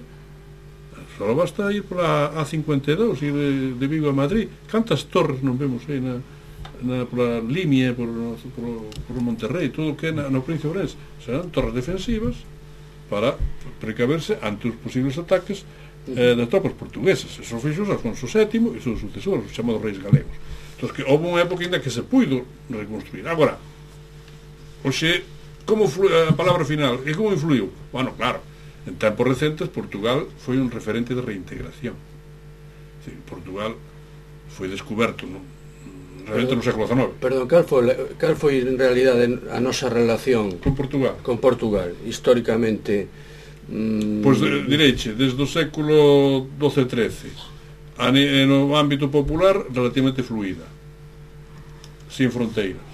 Só basta ir pola A52, ir de Vigo a Madrid. Cantas torres non vemos aí pola Limia, por Monterrey, todo o que é no Príncipe de Ourense. Serán torres defensivas para precaverse ante os posibles ataques das tropas portuguesas. Eso fixo Afonso VII e seus sucesores, os chamados reis galegos. Entón, que houve unha época ainda que se puido reconstruir. Agora, oxe, como a palabra final, e como influiu? Bueno, claro, en tempos recentes Portugal foi un referente de reintegración. Portugal foi descoberto realmente no século XIX. Perdón, cal foi en realidade a nosa relación con Portugal, históricamente? Pois direiche, desde o século XII-XIII, no ámbito popular relativamente fluida, sin fronteiras,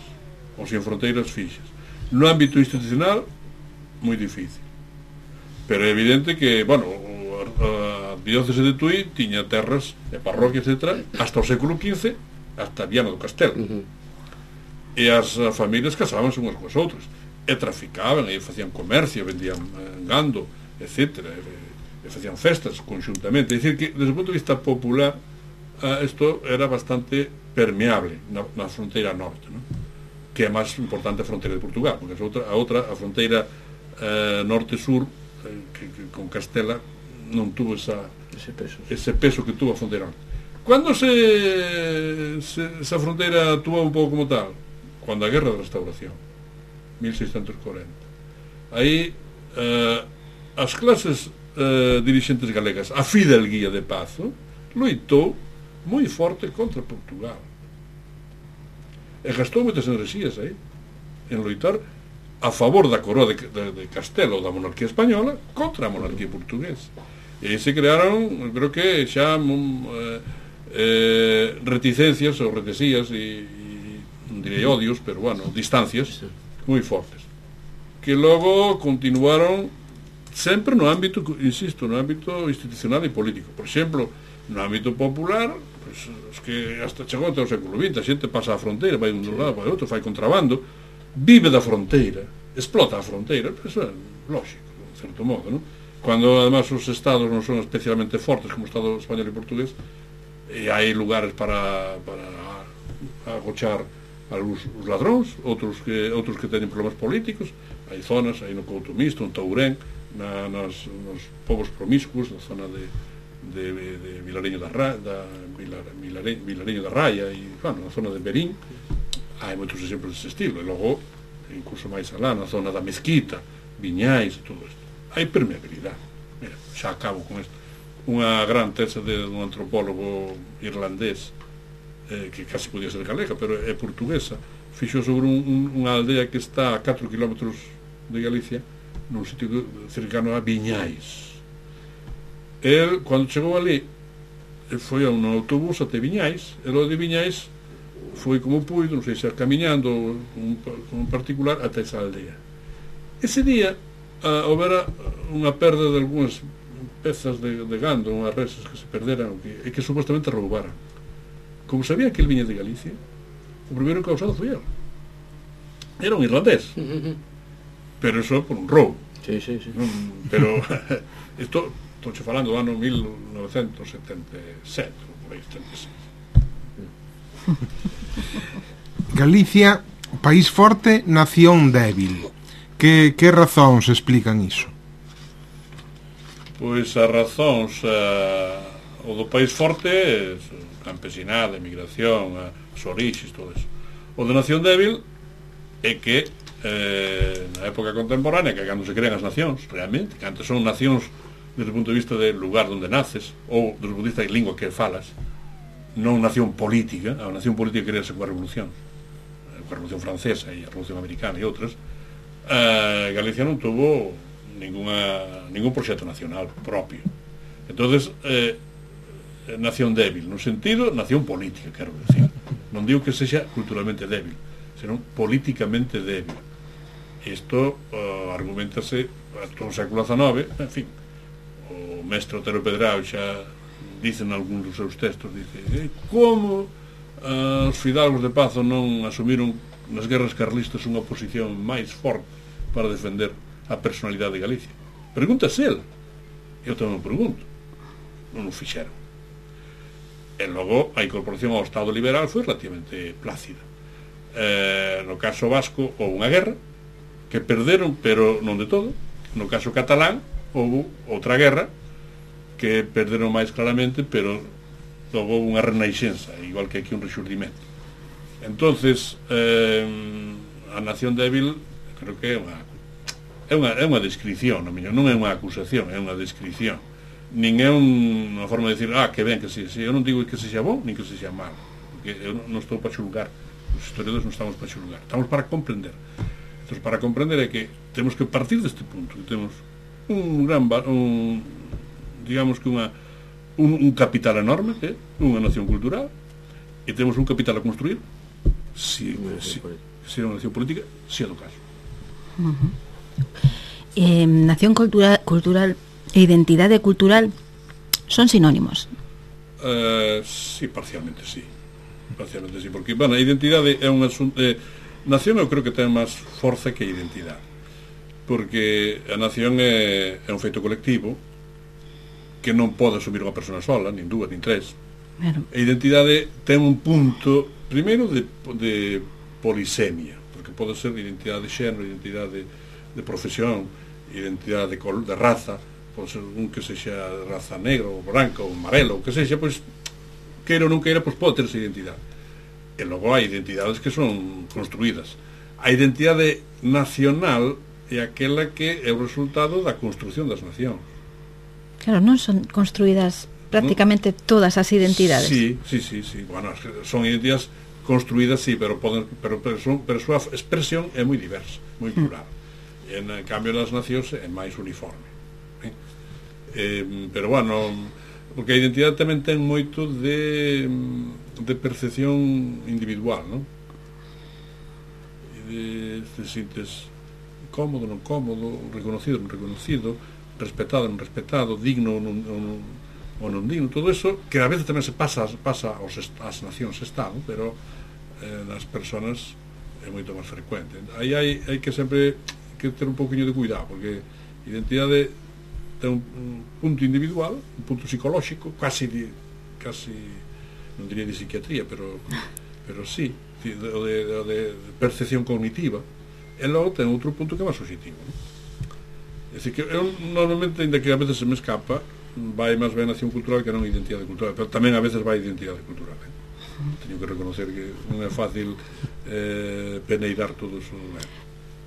ou sin fronteiras fixas. No ámbito institucional, moi difícil. Pero é evidente que, bueno, a diócese de Tui tiña terras e parroquias, etc., hasta o século XV, hasta Viana do Castelo. E as familias casábanse unhas coas outras, e traficaban, e facían comercio, vendían gando, etc., e facían festas conxuntamente. É dicir que, desde o punto de vista popular, isto era bastante permeable na fronteira norte, non? Que é máis importante a fronteira de Portugal, porque a fronteira norte-sur, que con Castela non tuvo ese peso que tuvo a fronteira norte. Cando esa fronteira actuou un pouco como tal? Cando a Guerra de Restauración, 1640. Aí as clases dirixentes galegas, a Fidelguía de Pazo, loitou moi forte contra Portugal e gastou moitas enerxías aí en loitar a favor da coroa de Castelo ou da monarquía española contra a monarquía portuguesa. E aí se crearon, creo que xa reticencias ou retesías e direi odios, pero bueno, distancias moi fortes, que logo continuaron sempre no ámbito, insisto, no ámbito institucional e político. Por exemplo, no ámbito popular, por pois, os que hasta chegou até o século XX, a xente pasa a fronteira, vai un lado, vai outro, fai contrabando, vive da fronteira, explota a fronteira, pero eso é lógico, en certo modo, non? Cuando además os estados non son especialmente fortes como o estado español e portugués, e hai lugares para agochar algúns os ladróns, outros que teñen problemas políticos, hai zonas, hai no Couto Misto, en Tourén, nos povos promiscuos, na zona de Vilareño da Raya e, bueno, na zona de Berín, hai moitos exemplos desse estilo, e logo, incluso máis alá, na zona da Mezquita, Viñais e todo isto. Hai permeabilidade. Mira, xa acabo con isto. Unha gran tese de un antropólogo irlandés, que casi podía ser galega, pero é portuguesa, fixo sobre unha aldea que está a 4 km de Galicia, nun sitio cercano a Viñais. El, cando chegou ali, foi a un autobús até Viñais, e lo de Viñais foi como puido, non sei se camiñando con un particular até esa aldea. Ese día houbera unha perda de algunhas pezas de gando, unhas reses que se perderan e que supostamente roubaran. Como sabía que el viña de Galicia, o primeiro causado foi el. Era un irlandés, pero eso por un roubo. Sí. Pero isto estou falando do ano 1977, por aí, 76. Galicia, país forte, nación débil. Que razóns explican iso? Pois as razóns, o do país forte, campesinada, emigración, as orixes, todo eso. O de nación débil é que na época contemporánea, que cando se crean as nacións, realmente, que antes son nacións desde o punto de vista del lugar onde naces, ou desde o punto de vista da lingua que falas, non nación política. A nación política crease coa Revolución Francesa e a Revolución Americana e outras. Galicia non tuvo ningún proxecto nacional propio. Entonces, nación débil, no sentido nación política, quero decir. Non digo que sexa culturalmente débil, senón políticamente débil. Isto argumentase todo o século XIX, en fin. O mestre Otero Pedrao xa dicen algúns dos seus textos, dice, como os fidalgos de Pazo non asumiron nas guerras carlistas unha posición máis forte para defender a personalidade de Galicia. Pregúntase el. Eu tamén me pregunto. Non o fixeron. E logo a incorporación ao Estado liberal foi relativamente plácida. No caso vasco houve unha guerra que perderon, pero non de todo. No caso catalán houve outra guerra que perderon máis claramente, pero logo houve unha renaixenza, igual que aquí un rexurdimento. Entonces, a nación débil creo que é unha descripción, non é unha acusación, é unha descripción. Nin é unha forma de decir, que ben que sí. Eu non digo que sexa bom, nin que sexa malo, porque eu non estou para xulgar. Os historiadores non estamos para xulgar, estamos para comprender. Entón, para comprender é que temos que partir deste punto, que temos digamos que un capital enorme, que é unha nación cultural, e temos un capital a construir, se é unha nación política, se é do caso. Nación cultural e identidade cultural son sinónimos? Sí, parcialmente sí, porque, bueno, a identidade é un asunto, nación eu creo que ten máis forza que a identidade, porque a nación é un feito colectivo que non pode asumir unha persona sola, nin dúas, nin tres. Claro. A identidade ten un punto primeiro de polisemia, porque pode ser identidade de xénero, identidade de profesión, identidade de raza, pode ser un que sexa de raza negra ou branca ou amarela ou que sexa, pois queira ou non queira, pois pode ter esa identidade. E logo hai identidades que son construídas. A identidade nacional é aquela que é o resultado da construción das nacións. Claro, non son construídas prácticamente todas as identidades. Sí. Bueno, son identidades construídas, sí, pero a súa expresión é moi diversa, moi plural. En cambio, nas nacións é máis uniforme. Pero, bueno, porque a identidade tamén ten moito de percepción individual, non? Te sintes cómodo, non cómodo, reconocido, non reconocido, respetado, non respetado, digno ou non o non din, todo eso que a veces tamén se pasa ás nacións-estado, pero nas persoas é moito máis frecuente. Aí hai que sempre que ter un pouquinho de cuidado, porque a identidade ten un punto individual, un punto psicolóxico, casi non diría de psiquiatría, pero sí, de percepción cognitiva, e logo ten outro punto que é máis subjetivo, non? É dicir, que eu normalmente, ainda que a veces se me escapa, vai máis ben a nación cultural que non a identidade cultural, pero tamén a veces vai a identidade cultural, teño que reconocer que non é fácil peneirar todo eso.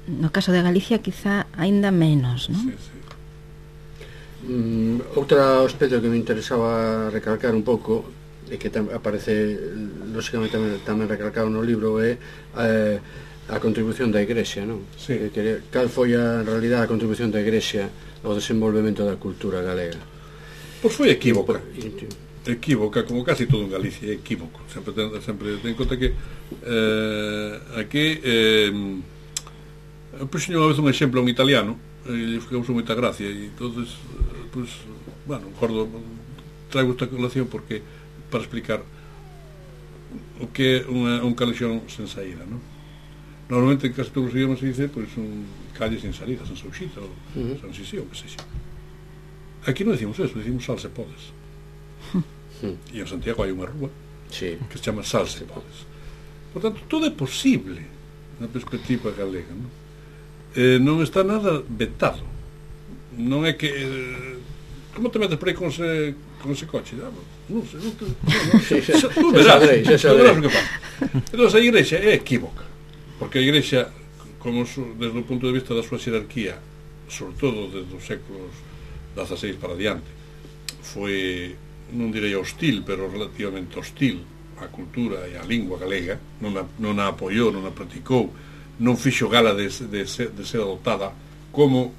No caso de Galicia quizá aínda menos, non? Sí, sí. Outro aspecto que me interesaba recalcar un pouco e que aparece lógicamente tamén recalcado no libro é a contribución da Igrexa, non? Sí. Cal foi en realidad a contribución da Igrexa ao desenvolvemento da cultura galega? Pois foi equívoca, como casi todo en Galicia, é equívoco. Sempre ten en conta que aquí puxo unha vez un exemplo a un italiano e lle causou moita gracia e entonces pues, bueno, traigo esta colación porque para explicar o que é un calexón sen saída, non? Normalmente en casi todos os idiomas se dice pues, un calle sin salida, sen Souxita ou sen Sisi ou que sexa. Aquí non decimos eso, decimos Salse Podes. E en Santiago hai unha rúa que se chama Salse Podes. Por tanto, todo é posible na perspectiva galega, non? Non está nada vetado. Non é que como te metes por aí con ese coche? Non sei, tú verás o que pasa. Entón a Igrexa é equívoca, porque a Igrexa, como desde o punto de vista da súa xerarquía, sobre todo desde os séculos XVI para diante, foi, non direi hostil, pero relativamente hostil á cultura e á lingua galega, non a apoiou, non a practicou, non fixo gala de ser adoptada como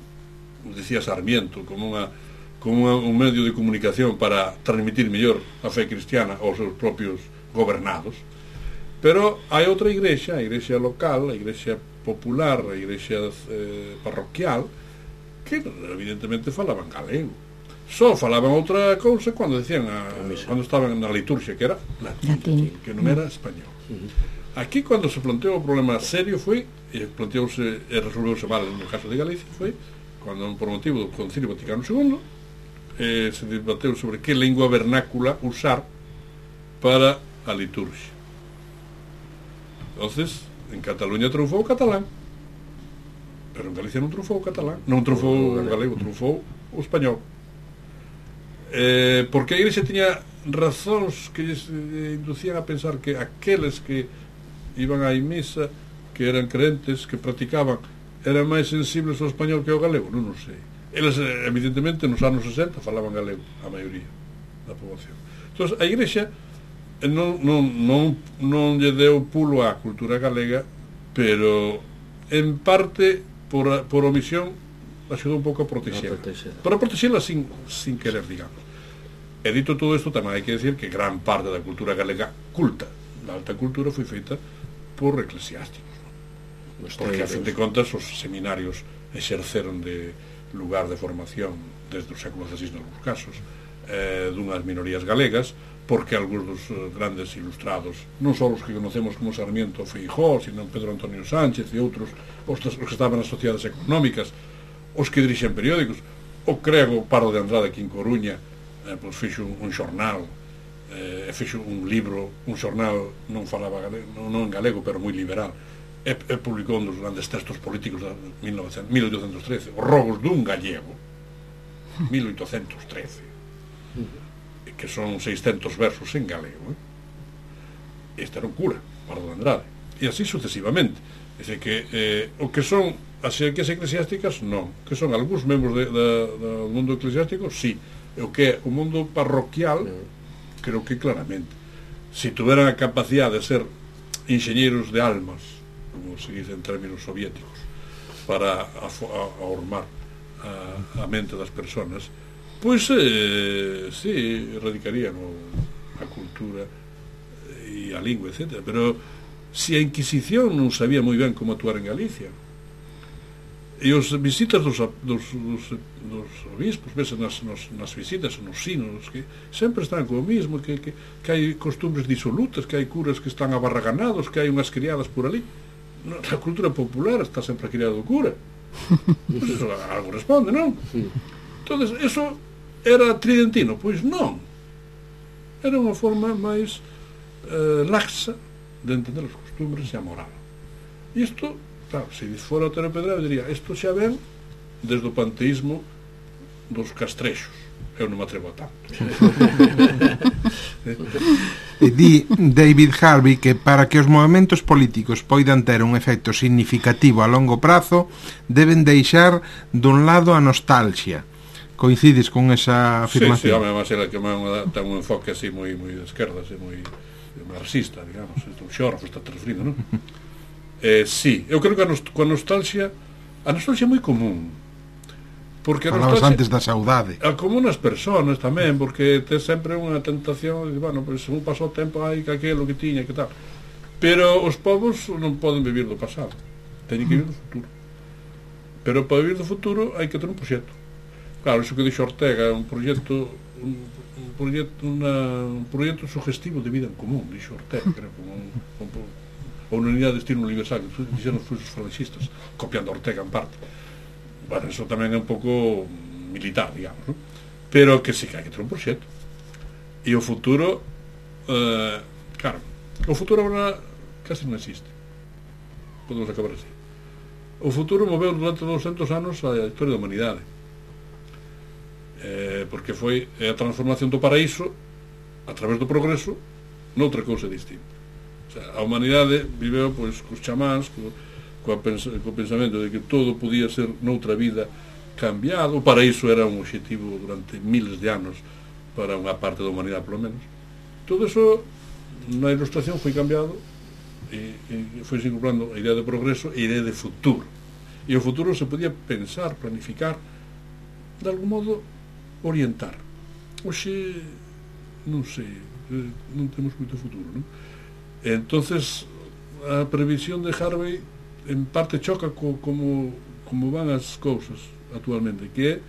decía Sarmiento, como un medio de comunicación para transmitir mellor a fe cristiana aos seus propios gobernados. Pero hai outra igrexa, a igrexa local, a igrexa popular, a igrexa parroquial, que evidentemente falaban galego. Só falaban outra cousa cando decían cando estaban na liturgia, que era latín, que non era español. Aquí, cando se planteou o problema serio, foi, e planteouse e resolveuse mal no caso de Galicia, foi cando, por motivo do Concilio Vaticano II, se debateu sobre que lingua vernácula usar para a liturgia. Entonces, en Cataluña triunfou o catalán, pero en Galicia non triunfou o catalán, non triunfou o galego, triunfou o español. Porque a Igrexa tiña razóns que lles inducían a pensar que aqueles que iban á misa, que eran crentes, que practicaban, eran máis sensibles ao español que ao galego, non sei. Eles, evidentemente, nos anos 60 falaban galego, a maioría da poboación. Entón, a Igrexa non lle deu pulo á cultura galega, pero en parte por omisión axudou un pouco a protexela, para protexela sin querer, digamos. E dito todo isto, tamén hai que decir que gran parte da cultura galega culta, da alta cultura, foi feita por eclesiásticos, ¿no? Porque a fin de contas os seminarios exerceron de lugar de formación desde o século XVI nos casos dunhas minorías galegas, porque algúns dos grandes ilustrados, non só os que conocemos como Sarmiento ou Feijóo, sino Pedro Antonio Sánchez e outros, os que estaban nas sociedades económicas, os que dirixen periódicos, o Crego Pardo de Andrade aquí en Coruña, pois fixo un xornal, fixo un libro, un xornal non falaba galego, non en galego, pero moi liberal, e publicou un dos grandes textos políticos de 1813, Os Rogos dun Gallego, 1813, que son 600 versos en galego. Este era un cura, Pardo de Andrade, e así sucesivamente. É dicir que o que son as xerarquías eclesiásticas, non, que son algúns membros do mundo eclesiástico, sí, e o que é o mundo parroquial, creo que claramente, se tuveran a capacidade de ser enxeñeiros de almas, como se dice en términos soviéticos, para formar a mente das persoas, pois sí, erradicarían a cultura e a lingua, etc. Pero se a Inquisición non sabía moi ben como actuar en Galicia, E os visitas dos obispos, vese nas visitas, nos sinos, que sempre están co mismo, que hai costumbres disolutas, que hai curas que están abarraganados, que hai unhas criadas por ali. Na cultura popular está sempre a criada do cura. Pues eso algo responde, non? Entonces, eso era tridentino? Pois non. Era unha forma máis laxa de entender os costumbres e a moral. E isto, claro, se fora o Otero Pedraio, diría, isto xa ven desde o panteísmo dos castrexos. Eu non me atrevo a tanto. E di David Harvey que para que os movementos políticos poidan ter un efecto significativo a longo prazo deben deixar dun lado a nostalgia. Coincides con esa afirmación? Sí, además era que ten un enfoque así moi de esquerda, así moi marxista, digamos, o xorro está transferido, non? Sí, eu creo que a nostalgia é moi común. Porque falabas antes da saudade. Como nas persoas tamén, porque tes sempre unha tentación de, bueno, pues, un pasou tempo aí que aquelo que tiña, que tal. Pero os povos non poden vivir do pasado, teñen que vivir do futuro. Pero para vivir do futuro hai que ter un proxecto. Claro, iso que dixo Ortega é un proxecto sugestivo de vida en común, dixo Ortega, creo, como unha unidade de destino universal, que dixeron os falanxistas, copiando a Ortega en parte. Bueno, eso tamén é un pouco militar, digamos, ¿no? Pero que sí que hai que ter un proxecto. E o futuro, claro, o futuro agora casi non existe. Podemos acabar así. O futuro moveu durante 200 anos a historia da humanidade. Porque foi a transformación do paraíso a través do progreso noutra cousa distinta. O sea, a humanidade viveu, pois, cos chamáns, co pensamento de que todo podía ser noutra vida cambiado. O paraíso era un obxectivo durante miles de anos para unha parte da humanidade, polo menos. Todo eso na ilustración foi cambiado e foi incorporando a idea de progreso e a idea de futuro. E o futuro se podía pensar, planificar, de algún modo orientar. Oxe, non sei, non temos moito futuro, non? Entonces a previsión de Harvey en parte choca como van as cousas actualmente, que é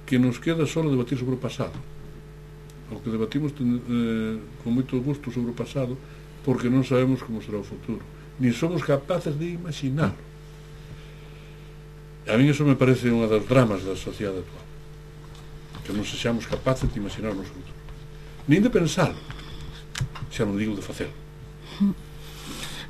que nos queda só debatir sobre o pasado, o que debatimos con moito gusto sobre o pasado, porque non sabemos como será o futuro, ni somos capaces de imaginarlo. A mí eso me parece unha das dramas da sociedade actual, que non sexamos capaces de imaginar o noso futuro, nin de pensarlo, xa non digo de facelo.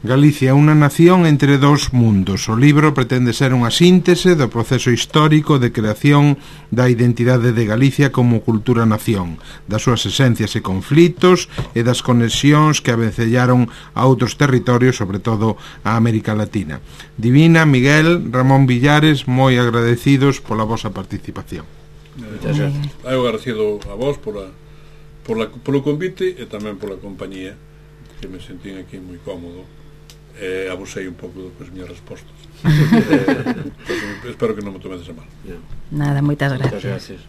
Galicia, unha nación entre dous mundos. O libro pretende ser unha síntese do proceso histórico de creación da identidade de Galicia como cultura-nación, das súas esencias e conflitos e das conexións que avencellaron a outros territorios, sobre todo a América Latina. Divina, Miguel, Ramón Villares, moi agradecidos pola vosa participación. Eu agradecido a vos polo convite e tamén pola compañía, que me sentín aquí moi cómodo. Abusei un pouco das miñas respostas. Espero que non me tomedes a mal. Nada, moitas gracias.